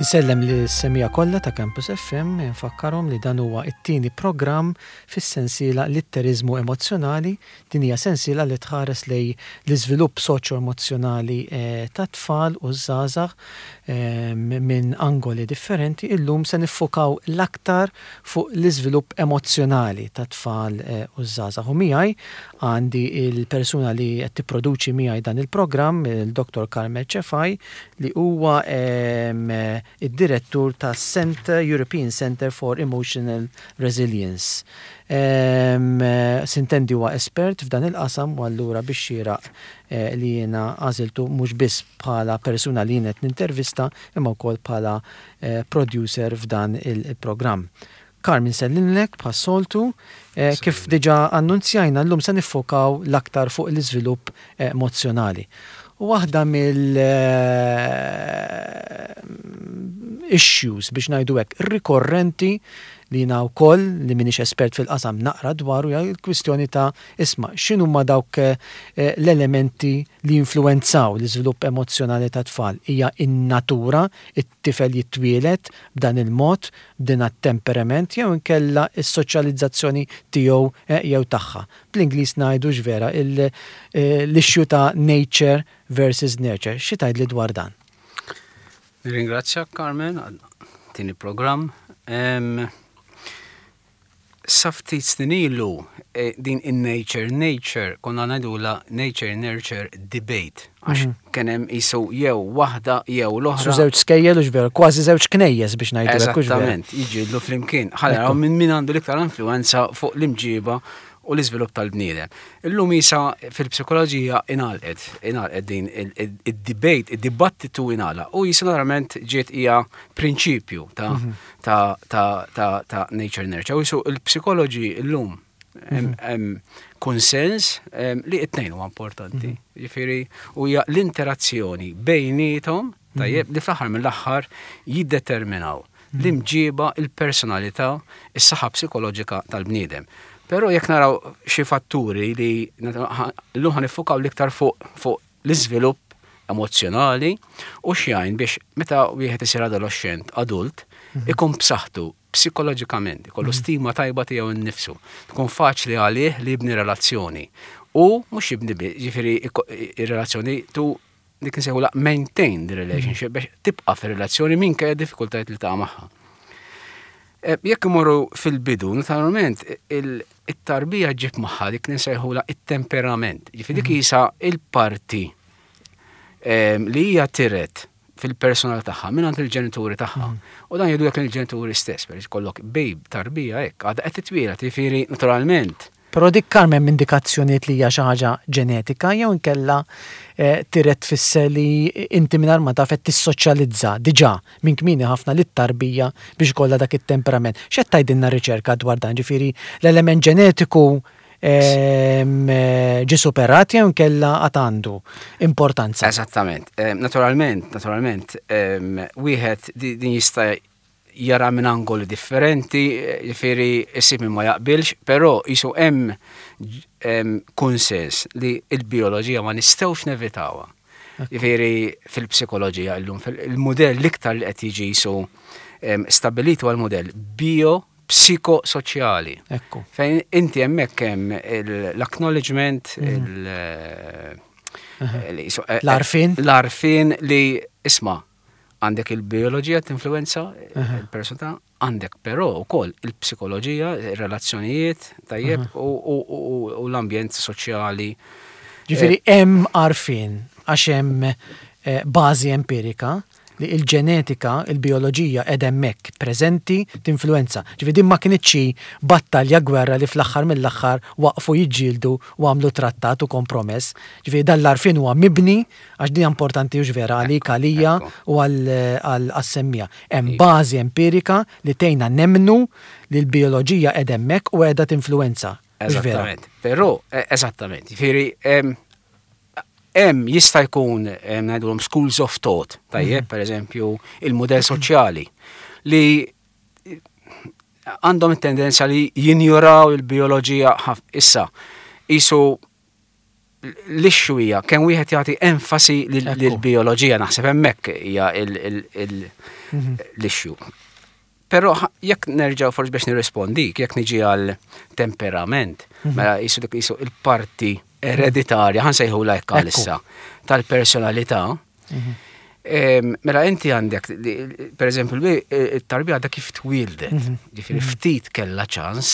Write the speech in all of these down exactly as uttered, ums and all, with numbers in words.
Insellem lis-semmiegħa kollha ta' Campus F M, nfakkarhom li dan huwa it-tieni programm fis-sensiela Litteriżmu Emozzjonali. Din hija sensiela li tħares lejn l-iżvilupp soċjo-emozzjonali eh, ta' tfal u żgħażagħ eh, minn angoli differenti. Illum se niffukaw l-aktar fuq l-iżvilupp emozzjonali ta' tfal eh, u żgħażagħ. U miegħi għandi il-persuna li qed tipproduċi miegħi dan il-programm, il-Dottor Carmel Cefai, li huwa id-direttur ta' Center, European Center for Emotional Resilience. Um, S'intendi huwa espert f'dan il-qasam u allura biex xieraq eh, li jiena għażiltu mhux biss bħala persuna li jien qed nintervista, imma wkoll bħala eh, producer f'dan il-programm. Carmen, sellimlek bħas-soltu, eh, kif diġa annunzjajna, llum se niffokaw l-aktar fuq l-iżvilupp emozjonali. U waħda mill eh, issues, biex ngħidu hekk, rikorrenti li jiena wkoll, li minix espert fil-qasam, naqra dwaru hija l-kwistjoni ta', isma', x'inhu ma dawk eh, l-elementi li influenzaw l-iżvilupp emozjonali ta' tfal. Hija in-natura, it-tifel jitwielet b'dan il-mod, b'din temperament, jew inkella s-soċjalizzazzjoni tiegħu eh, jew tagħha? Bl-Ingliż ngħidu x'vera l-issue ta' nature versus nurture. Xi tgħidli dwar dan? Nirringrazzjak, Carmen, tieni programm. Sa ftit snin ilu eh, din in nature nature konna ngħidula nature nurture debate. Għax mhm. kien hemm qisu jew waħda jew l-oħra. Su żewġ skejjel u vera, kważi żewġ knejjes, biex ngħidu. Eżattament, jiġġieldu flimkien. Ħa minn min għandu l-iktar influenza fuq l-imġiba u l-iżvilupp tal-bniedem. Illum issa fil-psikoloġija ingħalqet, ingħalqet din id-debate, id-dibattitu ingħalaq u issa naturalment ġiet hija prinċipju ta' mhm. ta' ta' ta' ta' nature nurture. U qisu il-psikoloġi illum hemm konsens li it-tnejn huwa importanti. Mhm. Ġifieri u hija l-interazzjoni bejniethom, tajjeb, li fl-aħħar mill-aħħar jiddeterminaw l-imġiba, il-personalità, is-saħħa psikoloġika tal-bniedem. Però jekk naraw xi fatturi li llum ħa niffukaw l-iktar fuq fuq l-iżvilupp emozjonali u x'jgħin biex meta wieħed isir adolescent, adult, mhm. ikun b'saħħtu psikoloġikament, ikollu mhm. stima tajba tiegħu nnifsu, tkun faċli għalih li jibni relazzjoni. U mhux jibni, ġifieri ir-relazzjoni tu dik nsejħu maintain the relationship, biex tibqa' fir-relazzjoni minkejja diffikultajiet li ta' magħha. Eh, jekk imorru fil-bidu, naturalment it-tarbija ġib magħha dik nsejħula it-temperament. Ġifieri dik mhm. issa il-parti ehm, li hija tiret fil-personal tagħha minn il-ġenituri tagħha. Mhm. U dan jgħidu jekk il-ġenituri stess, per kollok babe, tarbija hekk, għadha qed titwieled, jiġifieri naturalment. Però dik, Carmen, indikazzjoniet li hija xi ħaġa ġenetika jew inkella eh, tiret tfisser li inti mingħajr ma taf qed tissoċjalizza diġà minn kmieni ħafna lit-tarbija biex ikollha dak it-temperament? X'qed tgħidilna riċerka dwar dan? Ġifieri l-element ġenetiku ehm, eh, ġi superat jew inkella għad għandu importanza? Eżattament. Naturalment, naturalment, wieħed din jista' jara minn angoli differenti, ġifieri issib min ma jaqbilx, però qisu hemm konsens li il-bioloġija ma nistgħux nevitawha. Ġifieri fil-psikoloġija illum il-modell l-iktar li qed jiġi qisu stabilitu għal modell bio psikosoċjali. Ekku. Fejn inti hemmhekk hemm l-acknowledgement, il- l-għarfien. L-għarfien li, isma', għandek il-bioloġija tinfluenza il-persona, għandek però wkoll il-psikoloġija, il-relazzjonijiet, tajjeb, u l-ambjent soċjali. Ġifieri hemm għarfien għax hemm eh, bażi empirika li il-ġenetika, il-bioloġija qed hemmhekk preżenti tinfluenza. Ġifieri din ma kinitx battalja, gwerra li fl-aħħar mill-aħħar waqfu jiġġieldu u għamlu trattat u kompromess. Ġifieri dan l-għarfien huwa mibni, għax din importanti u vera għalik, għalija u għas-semmiegħa. Hemm bażi empirika li tgħinna nemmnu li l-bioloġija qed hemmhekk u qiegħda tinfluenza. Eżattament. Però, eh, eżattament. Ġifieri hemm jista' jkun ngħidulhom schools of thought, tajjeb, mhm. per eżempju, il-modell soċjali li għandhom it-tendenza li jinjoraw il-bioloġija. Issa qisu L-issue hija kemm wieħed jagħti enfasi lill-bioloġija, naħseb hemmhekk hija mhm. l-issue. Però jekk nerġgħu forsi biex nirrispondik, jekk niġi għal temperament, mhm. mela jisu dik jisu il-parti ereditarja, ħa nsejħulha hekk għalissa, tal-personalità. Mhm. Mela inti għandek, per eżempju, il-tarbija għadha kif twildet, ġifieri ftit kella ċans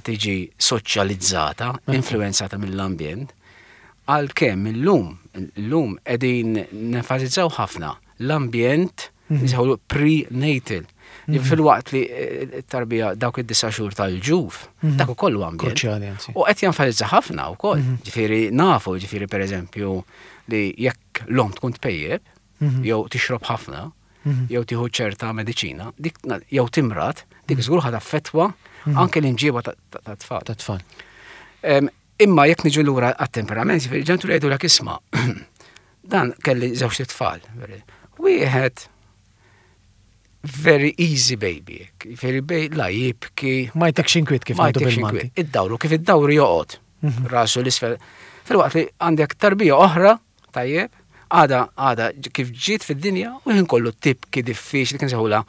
tiġi soċjalizzata, influenzata mill-ambjent, għalkemm illum, illum qegħdin nenfasizzaw ħafna l-ambjent nsejħulu prenatal. Fil-waqt li t-tarbija dawk id-disa' xhur tal-ġuf, dak ukoll ambjent. U qed jenfasizza ħafna wkoll. Ġifieri nafu, ġifieri per eżempju, li jekk l-om tkun tpejjeb, jew tixrob ħafna, jew tieħu ċerta mediċina, dik jew timrad, dik żgur ħa taffettwa anke l-imġiba ta' tfal. Ta' tfal. Imma jekk niġu lura għat-temperament, ġifieri ġenituri jgħidu isma', dan kelli żewġ tfal. Wieħed very easy baby, very baby, la jibki. Ma jtekx inkwiet, kif ma jtekx inkwiet. Iddawru, kif iddawru joqgħod. Mhm. Rasu l-isfel. Fil-waqt li għandek tarbija oħra, tajjeb, għada għada kif ġiet fid-dinja u ħin kollu tibki, diffiċli, kien sejħula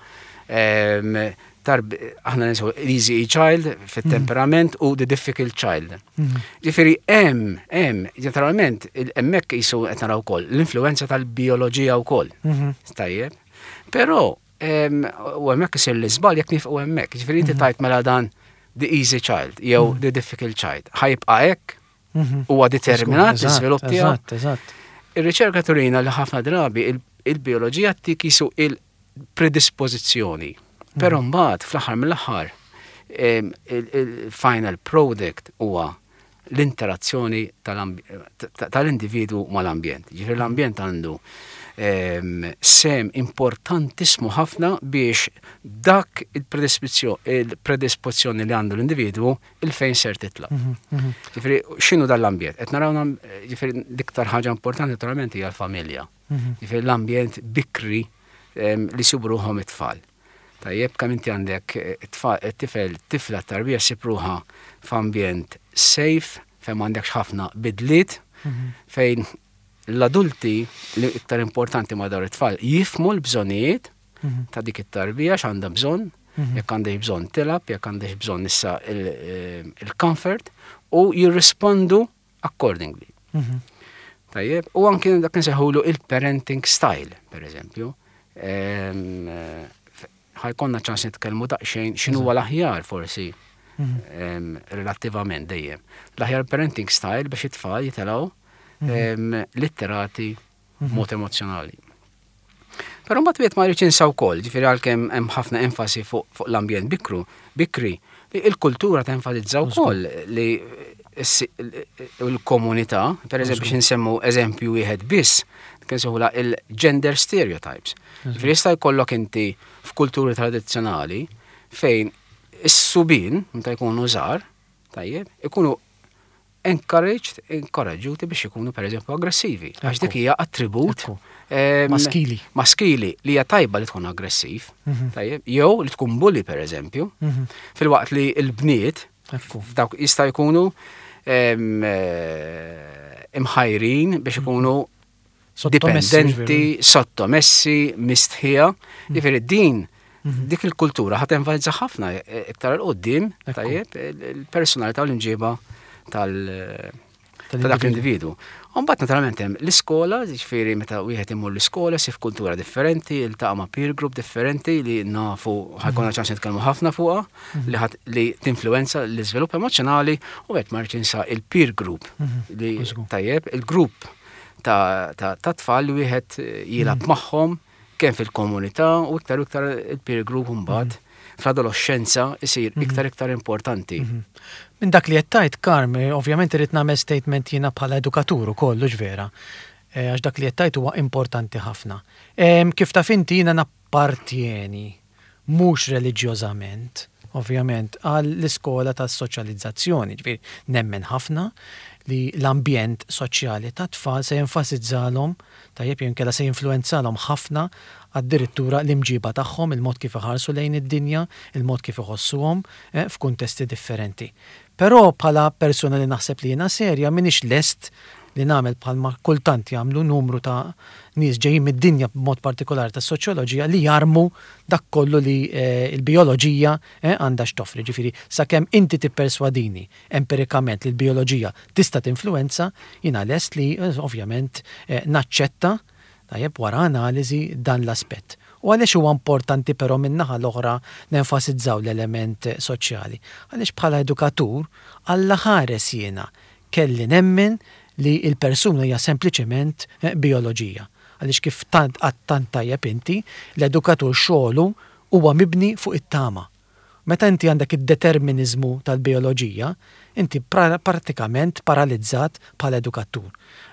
tarb aħna nsejħu easy child fit-temperament u the difficult child. Mhm. Ġifieri hemm hemm ġeneralment hemmhekk jisu qed naraw ukoll l-influenza tal-bioloġija wkoll. Mhm. Tajjeb. Però u hemmhekk isir l-iżball jekk nifqu hemmhekk. Ġifieri inti mhm. tajt mela dan the easy child jew the difficult child. Ħa jibqa' hekk, huwa determinat l-iżvilupp tiegħu. Eżatt, eżatt. Ir-riċerka turina li ħafna drabi il-bioloġija tik jisu il-predispożizzjoni. Però mbagħad fl-aħħar mill-aħħar il-final product huwa l-interazzjoni tal-individu mal-ambjent. Ġifieri l-ambjent għandu sehem importantissimu ħafna biex dak il-predispozzjoni li għandu l-individwu il-fejn ser titla. Mhm, mhm. Ġifieri x'inhu dal-ambjent? Qed naraw, ġifieri l-iktar ħaġa importanti naturalment hija l-familja. Mhm. Ġifieri l-ambjent bikri li jsibu ruħhom it-tfal. Tajjeb, kemm inti għandek it-tifel, tifla, tarbija ssib ruħha f'ambjent safe, fejn m'għandekx ħafna bidliet, fejn l-adulti li iktar importanti ma' dawn it-tfal jifhmu l-bżonijiet ta' dik it-tarbija, x'għandha bżonn, jekk għandha bżonn tilgħab, jekk għandha bżonn issa il-comfort u jirrispondu accordingly. Tajjeb, u anki dak nsejħulu il-parenting style, per eżempju. Ħa jkollna ċans nitkellmu daqsxejn x'inhu l-aħjar forsi relattivament dejjem. L-aħjar parenting style biex it-tfal jitilgħu litterati mod emozjonali. Però mbagħad wieħed ma jridx jinsa wkoll, ġifieri għalkemm hemm ħafna enfasi fuq l-ambjent bikru, bikri, li il-kultura tenfasizza wkoll li l-komunità, per eżempju, biex nsemmu eżempju wieħed biss, kien sejħula il-gender stereotypes. Ġifieri jista' jkollok inti f'kulturi tradizzjonali fejn is-subien, meta jkunu żgħar, tajjeb, ikunu encouraged, inkoraġġuti biex ikunu per eżempju aggressivi. Għax dik hija attribut maskili. Maskili li hija tajba li tkun aggressiv, mhm. tajjeb, jew li tkun bully per eżempju, mhm. filwaqt li l-bniet dawk jista' jkunu eh, imħajrin biex ikunu dipendenti, sottomessi, mistħija. Mhm. Ġifieri din dik il-kultura ħa tenfasizza ħafna eh, iktar 'il quddiem, tajjeb, il-personalità u l-imġiba tal- ta' dak l-individu. Mbagħad naturalment hemm l-iskola, ġifieri meta wieħed imur l-iskola sif kultura differenti, iltaqa' ma' peer group differenti li nafu ħa jkollna ċans nitkellmu ħafna fuqha, li ħat li tinfluenza l-iżvilupp emozjonali, u qed ma insa il-peer group li tajjeb, il-grupp ta' ta' tfal li wieħed jilgħab magħhom kemm fil-komunità u iktar u iktar il-peer group mbagħad fl-adolescenza isir iktar iktar importanti. Minn dak li qed tgħid, Karm, ovvjament irrid nagħmel statement jiena bħala edukatur ukoll, vera. Eh, għax dak li qed tgħid huwa importanti ħafna. Kif taf inti, jiena nappartjeni mhux reliġjożament, ovvjament, għal l-iskola tas soċjalizzazzjoni, ġifieri nemmen ħafna li l-ambjent soċjali ta' tfal se jenfasizzalhom, tajjeb, jew inkella se jinfluenzalhom ħafna addirittura l-imġiba tagħhom, il-mod kif iħarsu lejn id-dinja, il-mod kif iħossuhom eh, f'kuntesti differenti. Però bħala persuna li naħseb li jiena serja, m'iniex lest li nagħmel bħalma kultant jagħmlu numru ta' nies ġejjin mid-dinja b'mod partikolari tas-soċjoloġija li jarmu dak kollu li eh, il-bioloġija eh, għandha x'toffri. Ġifieri sakemm inti tipperswadini empirikament li l-bioloġija tista' tinfluwenza, jiena lest li eh, ovvjament eh, naċċetta, tajjeb, wara analiżi dan l-aspett. U għaliex huwa importanti però min-naħa l-oħra nenfasizzaw l-element soċjali? Għaliex bħala edukatur, Alla ħares jiena kelli nemmen li il-persuna hija sempliċement eh, bioloġija. Għaliex kif tant għedt tant tajjeb inti, l-edukatur xogħlu huwa mibni fuq it-tama. Meta inti għandek id-determinizmu tal-bioloġija, inti pra pratikament paralizzat bħala edukatur.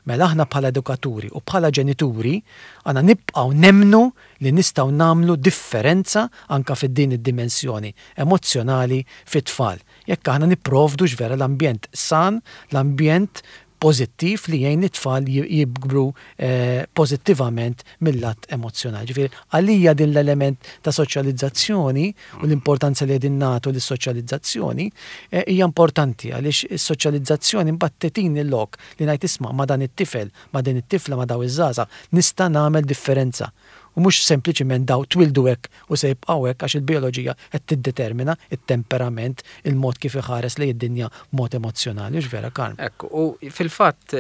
Mela aħna bħala edukaturi u bħala ġenituri għandna nibqgħu nemmnu li nistgħu nagħmlu differenza anka fid-din id-dimensjoni emozjonali fit-tfal. Jekk aħna nipprovdu vera l-ambjent san, l-ambjent pozittiv li jgħin it-tfal jikbru eh, pozittivament mill-lat emozjonali. Ġifieri, għalija din l-element ta' soċjalizzazzjoni u l-importanza li qegħdin nagħtu lis-soċjalizzazzjoni eh, hija importanti, għaliex is-soċjalizzazzjoni mbagħad tagħtini l-lok li ngħid, "Isma', ma' dan it-tifel, ma' din it-tifla, ma' daw iż-żgħażagħ nista' nagħmel differenza." U mhux sempliċiment daw twildu hekk u se jibqgħu hekk għax il-bioloġija qed tiddetermina it-temperament, il-mod kif iħares li id-dinja mod emozjonali, hux vera, Karm? Ekku, u fil-fatt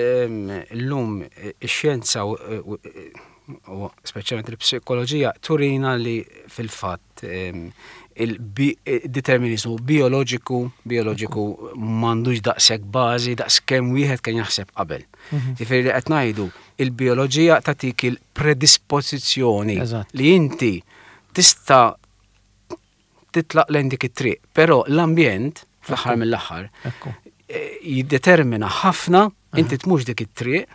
llum ix-xjenza u speċjalment il-psikoloġija turina li fil-fatt il-determinizmu bioloġiku bioloġiku m'għandux daqshekk bażi daqs kemm wieħed kien jaħseb qabel. Mhm. Ġifieri li qed ngħidu, il-bioloġija tagħtik il-predispożizzjoni li inti tista' titlaq lejn dik it-triq, però l-ambjent fl-aħħar mill-aħħar eh, jiddetermina ħafna inti tmux dik it-triq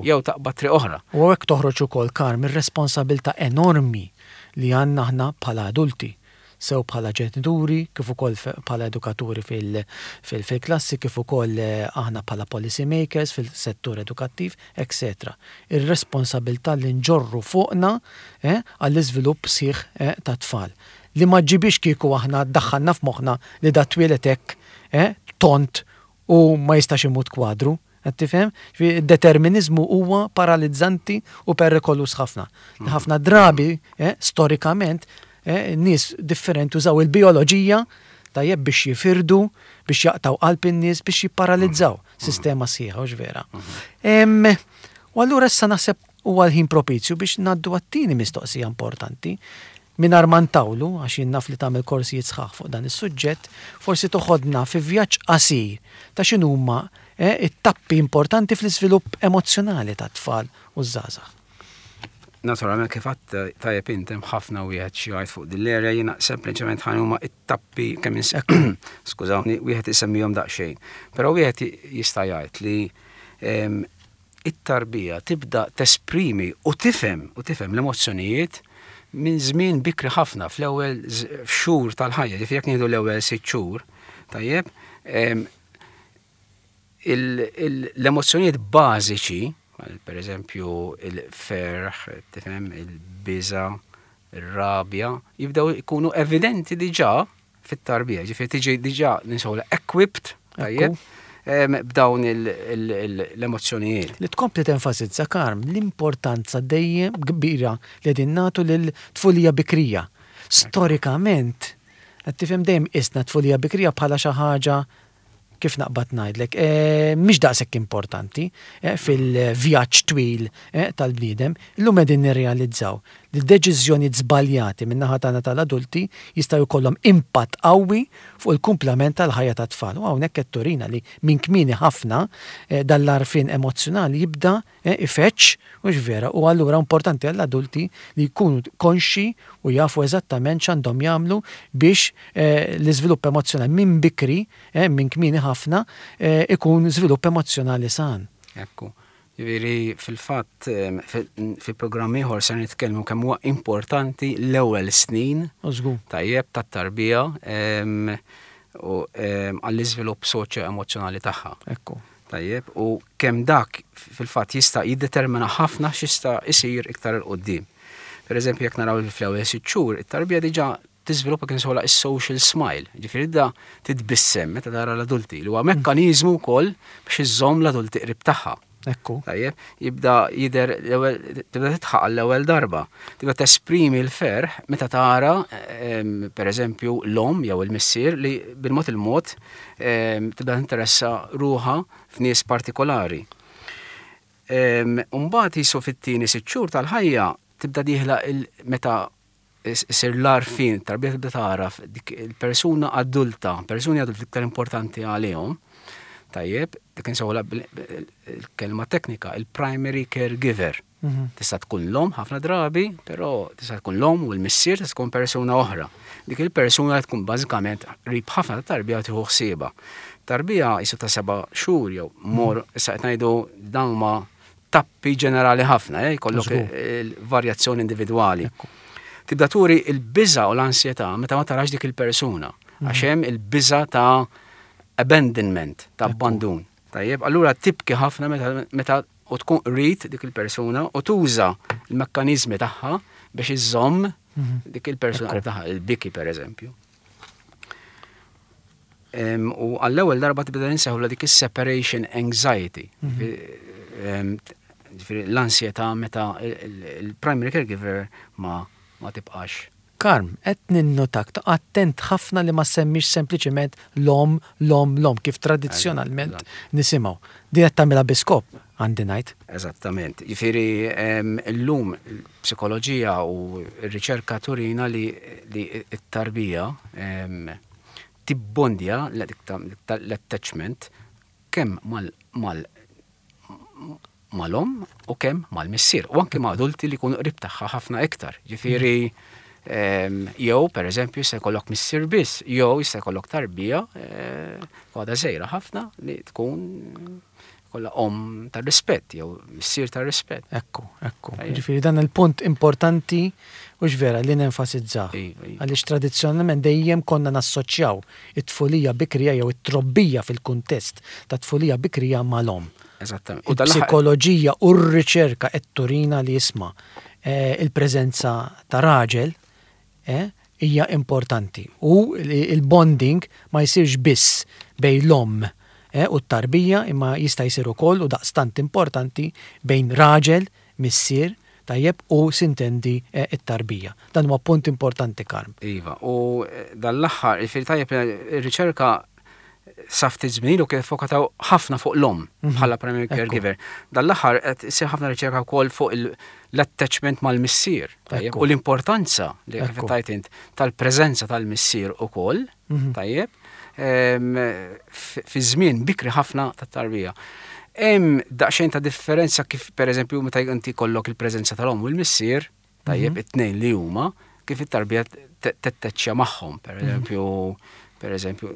jew taqbad triq oħra. U hekk toħroġ ukoll, Karm, ir-responsabilità enormi li għandna aħna bħala adulti, sew bħala ġenituri, kif ukoll bħala edukaturi fil-klassi, kif ukoll eh, aħna bħala policy makers fil-settur edukattiv, et cetera. Ir-responsabilità li nġorru fuqna eh, għall-iżvilupp sħiħ eh, ta' tfal. Li ma ġibix kieku aħna daħħalna f'moħħna li da twieled hekk tont u ma jistax imut kwadru. Qed tifhem? Determinizmu huwa paralizzanti u perikolus ħafna. Ħafna drabi, storikament, eh, nies differenti użaw il-bioloġija, tajjeb, biex jifirdu, biex jaqtaw qalb in-nies, biex jipparalizzaw sistema sħiħa, hux vera? U allura issa naħseb huwa l-ħin propizju biex ngħaddu għat-tieni mistoqsija importanti. Mingħajr ma ntawlu, għax jien naf li tagħmel korsijiet sħaħ fuq dan is-suġġett, forsi toħodna fi vjaġġ qasir ta' x'inhuma eh, it-tappi importanti fl-iżvilupp emozzjonali tat-tfal u żgħażagħ. Naturalment, kif għedt tajjeb int, hemm ħafna wieħed xi jgħid fuq din l-area, jiena sempliċement ħa huma it-tappi kemm, skużawni, wieħed isemmihom daqsxejn. Però wieħed jista' jgħid li it-tarbija tibda tesprimi u tifhem u tifhem l-emozzjonijiet minn żmien bikri ħafna, fl-ewwel xhur tal-ħajja, ġifieri jekk nieħdu l-ewwel sitt xhur, tajjeb, l-emozzjonijiet bażiċi, per eżempju il-ferħ, tifhem, il-biża, il-rabja, jibdew ikunu evidenti diġà fit-tarbija, ġifieri tiġi diġà nisolu equipped, tajjeb, b'dawn l-emozzjonijiet. Li tkompli tenfasizza, Karm, l-importanza dejjem kbira li qegħdin nagħtu lil-tfulija bikrija. Storikament, qed tifhem, dejjem qisna tfulija bikrija bħala xi ħaġa, kif naqbad ngħidlek, e, mhix daqshekk importanti e, fil-vjaġġ twil e, tal-bniedem. Illum qegħdin nirrealizzaw li deċiżjoni żbaljati minn naħa tagħna tal-adulti jistgħu jkollhom impatt qawwi fuq il-kumplament tal-ħajja tat-tfal. U hawnhekk qed turina li minn kmieni ħafna dan l-għarfien emozzjonali jibda ifeġġ, hux vera? U allura importanti għall-adulti li jkunu konxi u jafu eżattament x'għandhom jagħmlu biex l-iżvilupp emozzjonali minn bikri, minn kmieni ħafna, ikun żvilupp emozzjonali san. Ekku. Ġifieri fil-fatt fi programm ieħor se nitkellmu kemm huwa importanti l-ewwel snin tajjeb tat-tarbija u għall-iżvilupp soċjo-emozzjonali tagħha. Ekku. Tajjeb, u kemm dak fil-fatt jista' jiddetermina ħafna x'jista' isir iktar 'il quddiem. Per eżempju, jekk naraw fl-ewwel sitt xhur, it-tarbija diġà tiżviluppa kien sola is-social smile, ġifieri da titbissem meta tara l-adulti, li huwa mekkaniżmu wkoll biex iżżomm l-adulti qrib tagħha. Ekku. Tajjeb, jibda jidher l-ewwel tibda tidħaq l-ewwel darba. Tibda tesprimi l-ferħ meta tara em, per eżempju l-omm jew il-missier li bil-mod il-mod em, tibda tinteressa ruħha f'nies partikolari. Mbagħad jisu fit-tieni sitt xhur tal-ħajja tibda dieħla il- meta isir l-għarfien, tarbija tibda tagħraf dik il-persuna adulta, persuni adulti iktar importanti għalihom. Tajjeb, dik insewla il-kelma teknika, il-primary caregiver. Mhm. Tista' tkun l-omm ħafna drabi, però tista' tkun l-omm u l-missier tista' tkun persuna oħra. Dik il-persuna tkun bażikament qrib ħafna ta' tarbija tieħu ħsiebha. Tarbija jisu ta' seba' xhur jew mor issa qed ngħidu dawn ma tappi ġenerali ħafna, eh, jkollok Żgur. il-varjazzjoni individwali. Ekku. Tibda turi il-biża u l-ansjetà meta ma tarax dik il-persuna. Għax hemm il-biża ta' abandonment, ta' abbandun. Tajjeb, allura tibki ħafna meta, meta u tkun qrib dik il-persuna u tuża il-mekkanizmi tagħha biex iżomm dik il-persuna qrib tagħha, il-biki per eżempju. Em, U għall-ewwel darba tibda nsejħulha dik is-separation anxiety. Em, Ġifieri l-ansjetà meta il-primary caregiver ma ma tibqax. Karm, qed ninnotak ta' attent ħafna li ma semmix sempliċement l-omm, l-omm, l-omm, kif tradizzjonalment nisimgħu. Din qed tagħmilha bi skop, għandi ngħid. Eżattament. Ġifieri em, illum il-psikoloġija u r-riċerka turina li, li t-tarbija em, tibbondja l-attachment kemm mal, mal mal-omm u kemm mal-missier. U anke ma' adulti li jkunu qrib tagħha ħafna iktar. Ġifieri em, jew per eżempju jista' jkollok missier biss, jew jista' jkollok tarbija eh, għadha żgħira ħafna li tkun kollha omm tar-rispett jew missier tar-rispett. Ekku, ekku. Tajjeb. Ġifieri dan il-punt importanti u vera li nenfasizzah. Iva, iva. Għaliex tradizzjonalment dejjem konna nassoċjaw it-tfulija bikrija jew it-trobbija fil-kuntest ta' tfulija bikrija mal-omm. Eżattament. U dal-aħħar Il-psikoloġija u r-riċerka qed turina li jisma' eh, il-preżenza ta' raġel eh, hija importanti. U li il-bonding ma jsirx biss bejn l-omm eh, u t-tarbija imma jista' jsir ukoll u daqstant importanti bejn raġel, missier, tajjeb u sintendi eh, it-tarbija. Dan huwa punt importanti, Karm. Iva, u eh, dal-aħħar, ġifieri tajjeb ir-riċerka sa ftit żmien ilu kif fokataw ħafna fuq l-omm bħala primary Ekku. caregiver. Dal-aħħar qed isir ħafna riċerka wkoll fuq il- l-attachment mal-missier. Tajjeb, Ekku. u l-importanza li kif Ekku. tajt int tal-preżenza tal-missier ukoll, Mhm. tajjeb, em, f- fi żmien bikri ħafna tat-tarbija. Hemm daqsxejn ta' differenza kif pereżempju meta inti jkollok il-preżenza tal-omm u l-missier, tajjeb, it-tnejn li huma, kif it-tarbija tattaċċja magħhom, per eżempju, per eżempju,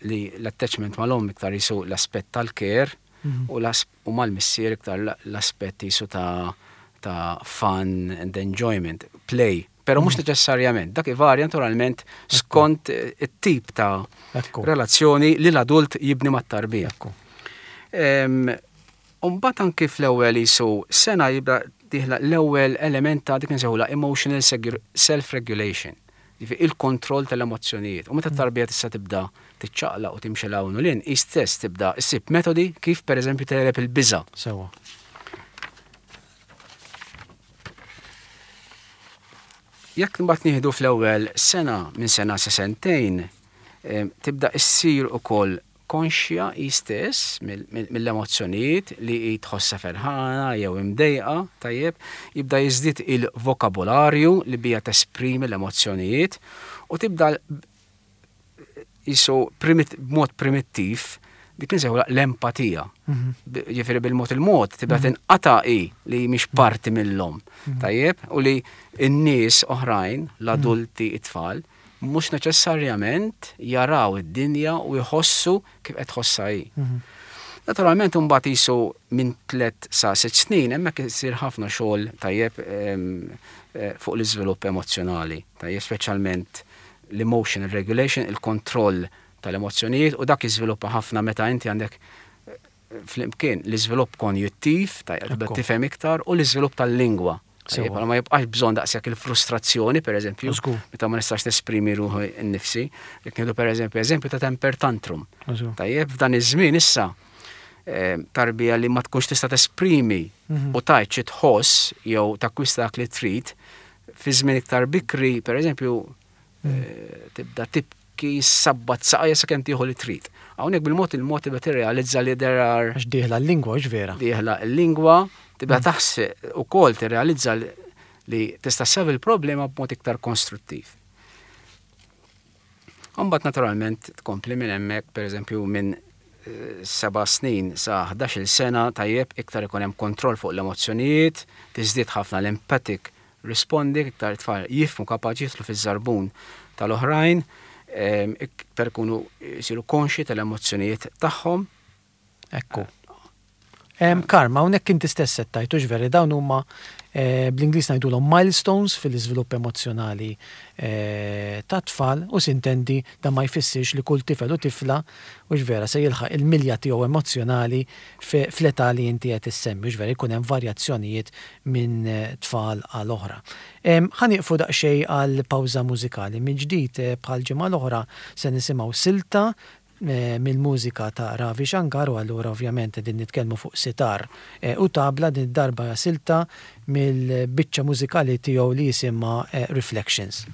li l-attachment mal-omm iktar jisu l-aspett tal-care u l-as- u mal-missier iktar l- l-aspett jisu ta' ta' fun and enjoyment, play. Pero mhux neċessarjament, dak ivarja naturalment skont eh, it-tip ta' Ekku. relazzjoni li l-adult jibni mat-tarbija. Ekku. Umbagħad anki fl-ewwel jisu sena jibda dieħla l-ewwel element ta' dik nsejħulha emotional segu- self-regulation. Ġifieri il-kontroll tal-emozzjonijiet. U meta t-tarbija tista' tibda tiċċaqlaq u timxi 'l hawn u 'l hinn, hi stess tibda issib metodi kif pereżempju tegħleb il-biża'. Sewa. Jekk mbagħad nieħdu fl-ewwel sena minn sena sa sentejn, em, tibda issir ukoll konxja hi stess mill- mill- mill-emozzjonijiet li hi tħossha ferħana jew imdejqa, tajjeb, jibda jiżdied il-vokabularju li bija tesprimi l-emozzjonijiet u tibda l- jisu primit, b'mod primittiv dik insejħulha l-empatija. B- Ġifieri bil-mod il-mod tibda tinqata' hi li mhix parti mill-omm. Tajjeb, u li n-nies oħrajn, l-adulti, it-tfal, mhux neċessarjament jaraw id-dinja u jħossu kif qed tħossha hi. Naturalment imbagħad jisu minn tliet sa sitt snin hemmhekk isir ħafna xogħol tajjeb em, eh, fuq l-iżvilupp emozzjonali, tajjeb speċjalment l-emotional regulation, il-kontroll tal-emozzjonijiet u dak jiżviluppa ħafna meta inti għandek eh, flimkien l-iżvilupp konjuttiv, tajjeb tibda Ekku. tifhem iktar u l-iżvilupp tal-lingwa. Tajjeb, Sewa. ma jibqax bżonn daqshekk il-frustrazzjoni, per eżempju, Żgur. meta ma nistax nesprimi ruħi nnifsi. Jekk nieħdu per eżempju eżempju ta' temper tantrum. Żgur. Tajjeb, f'dan iż-żmien issa Tarbija li ma tkunx tista' tesprimi mhm. u tgħid xi tħoss jew takkwista dak li trid fi żmien iktar bikri, pereżempju, mhm. eh, tibda tibki sabbat saqajja sakemm tieħu li trid. Hawnhekk bil-mod il-mod tibda tirrealizza li there are Għax dieħla l-lingwa, vera. Dieħla l-lingwa, tibda mhm. taħseb ukoll tirrealizza li tista' ssolvi il-problema b'mod iktar konstruttiv. Imbagħad naturalment tkompli minn hemmhekk, pereżempju minn eh, seba' snin sa ħdax-il sena, tajjeb, iktar ikun hemm kontroll fuq l-emozzjonijiet, tiżdied ħafna l-empathic responding, iktar tfal jifhmu, kapaċi jidħlu fiż-żarbun tal-oħrajn, iktar ikunu jsiru konxi tal-emozzjonijiet tagħhom. Ekku. Karma, hawnhekk inti stess settajtu ġveri, dawn huma eh, bl-Ingliż ngħidulhom milestones fil-iżvilupp emozjonali eh, ta' tfal u sintendi dan ma jfissirx li kull tifel u tifla u vera se jilħaq il-milja tiegħu emozjonali fl-età li inti qed issemmi, u vera jkun hemm varjazzjonijiet minn eh, tfal għal oħra. Ħa nieqfu daqsxejn għal pawża mużikali. Minn ġdid, bħal ġimgħa l-oħra, se nisimgħu silta Eh, mill-mużika ta' Ravi Shankar u allura ovvjament din nitkellmu fuq sitar eh, u tabla, din darba silta mill-biċċa mużikali tiegħu li jisimha eh, Reflections.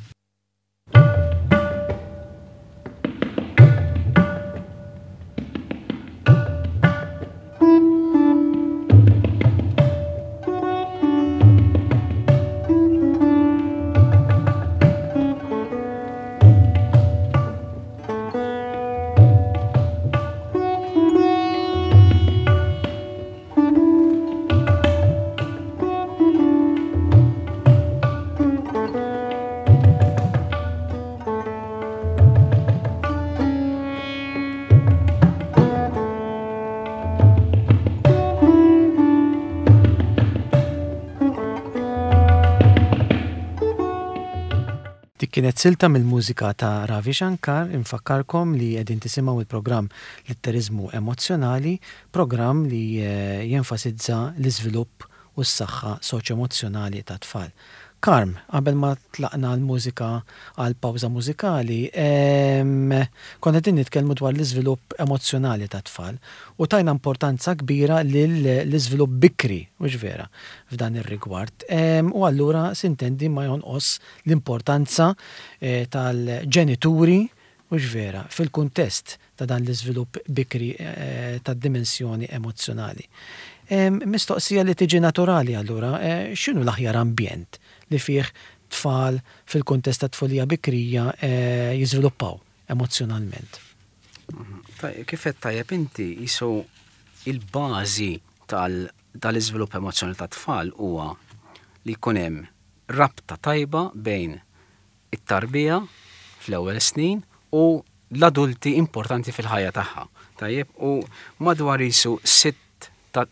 Dik kienet silta mill-mużika ta' Ravi Shankar. Infakkarkom li qegħdin tisimgħu il-programm Litteriżmu Emozzjonali, programm li eh, jenfasizza l-iżvilupp u s-saħħa soċjo-emozzjonali ta' tfal. Karm, qabel ma tlaqna l-mużika għal pawża mużikali, konna qegħdin nitkellmu dwar l-iżvilupp emozzjonali ta' tfal u tajna importanza kbira lill-iżvilupp bikri, u vera, f'dan ir-rigward. U allura sintendi ma jonqos l-importanza eh, tal-ġenituri, u vera, fil-kuntest ta' dan l-iżvilupp bikri eh, tad-dimensjoni emozzjonali. Mistoqsija li tiġi naturali allura, eh, x'inhu l-aħjar ambjent li fih tfal fil-kuntest ta' tfulija bikrija eh, jiżviluppaw emozjonalment? Kif qed tajjeb inti, jisu il-bażi tal-iżvilupp emozjonali ta' tfal huwa li jkun hemm rabta tajba bejn it-tarbija fl-ewwel snin u l-adulti importanti fil-ħajja tagħha. Tajjeb, u madwar jisu sitt ta'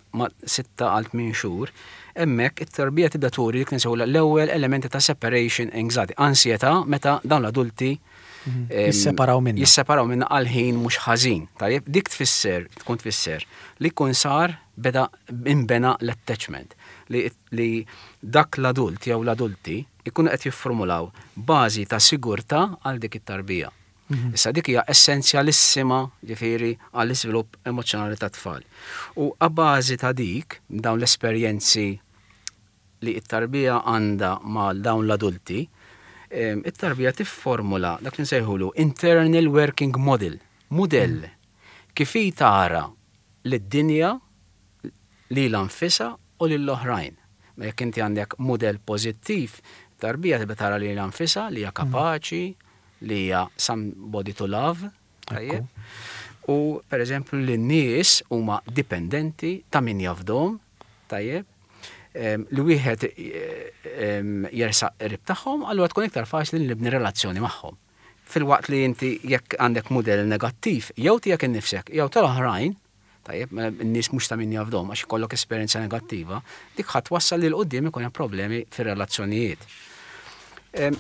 sitta għal tmien xhur, hemmhekk it-tarbija tibda turi dik nsejħu l-ewwel elementi ta' separation anxiety, ansjetà meta dawn l-adulti mhm. jisseparaw minna. Jisseparaw minna għal ħin mhux ħażin. Tajjeb, dik tfisser, tkun tfisser li jkun sar beda inbena l-attachment li, li dak l-adult jew l-adulti ikunu qed jiffurmulaw bażi ta' sigurtà għal dik it-tarbija. Mhm. Issa dik hija essenzjalissima, ġifieri, għall-iżvilupp emozzjonali ta' tfal. U a bażi ta' dik, dawn l-esperjenzi li t-tarbija għandha ma' dawn l-adulti, it-tarbija tifformula dak li nsejħulu internal working model, model kif hi tara lid-dinja, lilha nfisha u lill-oħrajn. Ma jekk inti għandek model pożittiv, tarbija tibda tara lilha nfisha li hija kapaċi, li hija somebody to love, tajjeb. U per eżempju li n-nies huma dipendenti, ta' min jafdahom, tajjeb, li wieħed jersaq qrib tagħhom, allura tkun iktar faċli li nibni relazzjoni magħhom. Filwaqt li inti jekk għandek mudell negattiv, jew tiegħek innifsek, jew tal-oħrajn, tajjeb, mela n-nies mhux ta' min jafdahom għax ikollok esperjenza negattiva, dik ħadd wassal li 'l quddiem ikun hemm problemi fir-relazzjonijiet.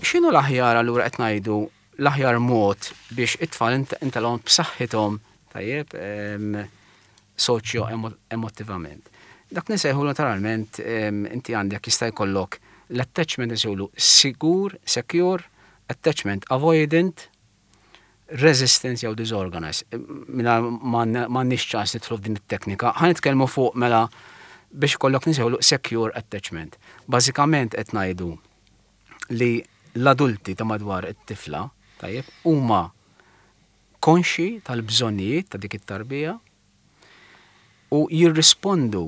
X'inhu l-aħjar allura, qed ngħidu l-aħjar mod biex it-tfal intelhom b'saħħithom, tajjeb, soċjo emotivament? Dak nsejħu naturalment inti għandek, jista' jkollok l-attachment nsejħulu sigur, secure, attachment avoidant, Resistance jew disorganized. Minna m'għandniex ċans nidħlu f'din it-teknika. Ħa nitkellmu fuq mela biex kollok nsejħulu secure attachment. Bażikament qed ngħidu li l-adulti ta' madwar it-tifla, tajjeb, huma konxi tal-bżonnijiet ta' dik it-tarbija u jirrispondu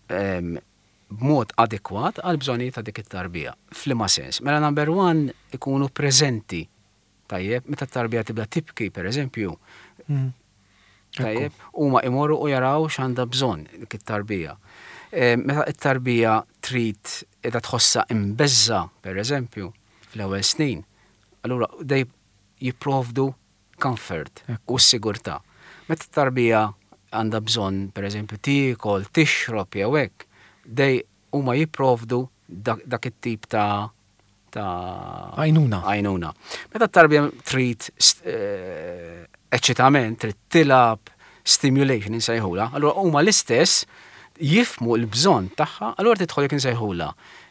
b'mod adekwat għal bżonnijiet ta' dik it-tarbija. F'liema sens? Mela, number one, ikunu preżenti. Tajjeb, meta t-tarbija tibda tibki, per eżempju, mm. tajjeb, huma imorru u jaraw x'għandha bżonn dik it-tarbija. Meta t-tarbija trid qiegħda tħossha imbeżża, per eżempju, fl-ewwel snin, allura dej jipprovdu comfort u s-sigurtà. Meta t-tarbija għandha bżonn, per eżempju, tiekol, tixrob jew hekk, dej huma jipprovdu dak it-tip ta' ta' għajnuna. Għajnuna. Meta t-tarbija trid eh, eċitament, trid tilgħab, stimulation insejħula, allura huma l-istess jifhmu l-bżonn tagħha, allura tidħol jekk insejħula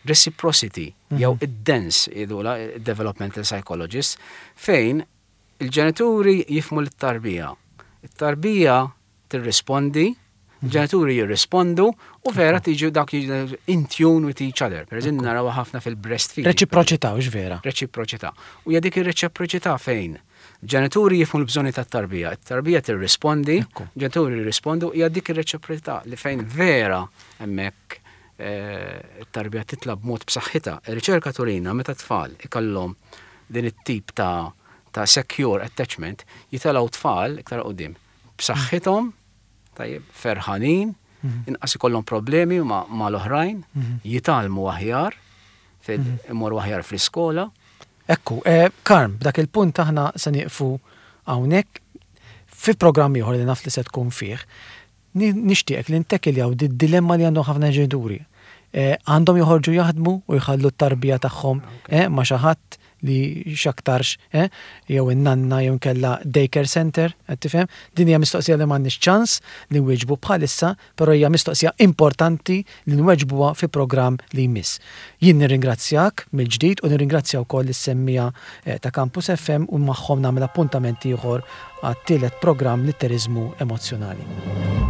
reciprocity jew mhm. id-dance jgħidula developmental psychologists, fejn il-ġenituri jifhmu l-tarbija. Il-tarbija tirrispondi, il-ġenituri jirrispondu u vera tiġu dak in tune with each other. Per eżempju, naraw ħafna fil-breastfeeding. Reċiproċità, u vera. Reċiproċità. U hija dik ir-reċiproċità fejn ġenituri jifhmu l-bżonni tat-tarbija, it-tarbija tirrispondi, ġenituri jirrispondu, hija dik ir-reċiproċità li fejn vera hemmhekk eh, it-tarbija titla' b'mod b'saħħitha. Ir-riċerka turina meta tfal ikollhom din it-tip ta' ta' secure attachment, jitilgħu tfal iktar qudiem b'saħħithom, tajjeb, ferħanin, mhm. inqas ikollhom problemi ma' l-oħrajn, mhm. jitgħallmu aħjar, mhm. imorru aħjar fl-iskola. Ekku, eh, Karm, b'dak il-punt aħna se nieqfu hawnhekk. Fi programm ieħor li naf li se tkun fih, nixtieq li nittekiljaw di dilemma li għandhom ħafna ġenituri. Eh, għandhom joħorġu jaħdmu u jħallu t-tarbija tagħhom eh, ma' xi ħadd li x'aktarx eh, jew in-nanna jew kella daycare center, qed tifhem? Din hija mistoqsija li m'għandniex ċans li nwieġbu bħalissa, però hija mistoqsija importanti li nweġbuha fi programm li jmiss. Jien nirringrazzjak mill-ġdid u nirringrazzja wkoll is-semmiegħa eh, ta' Campus F M u magħhom nagħmel appuntament ieħor għat-tielet programm, Litteriżmu Emozzjonali.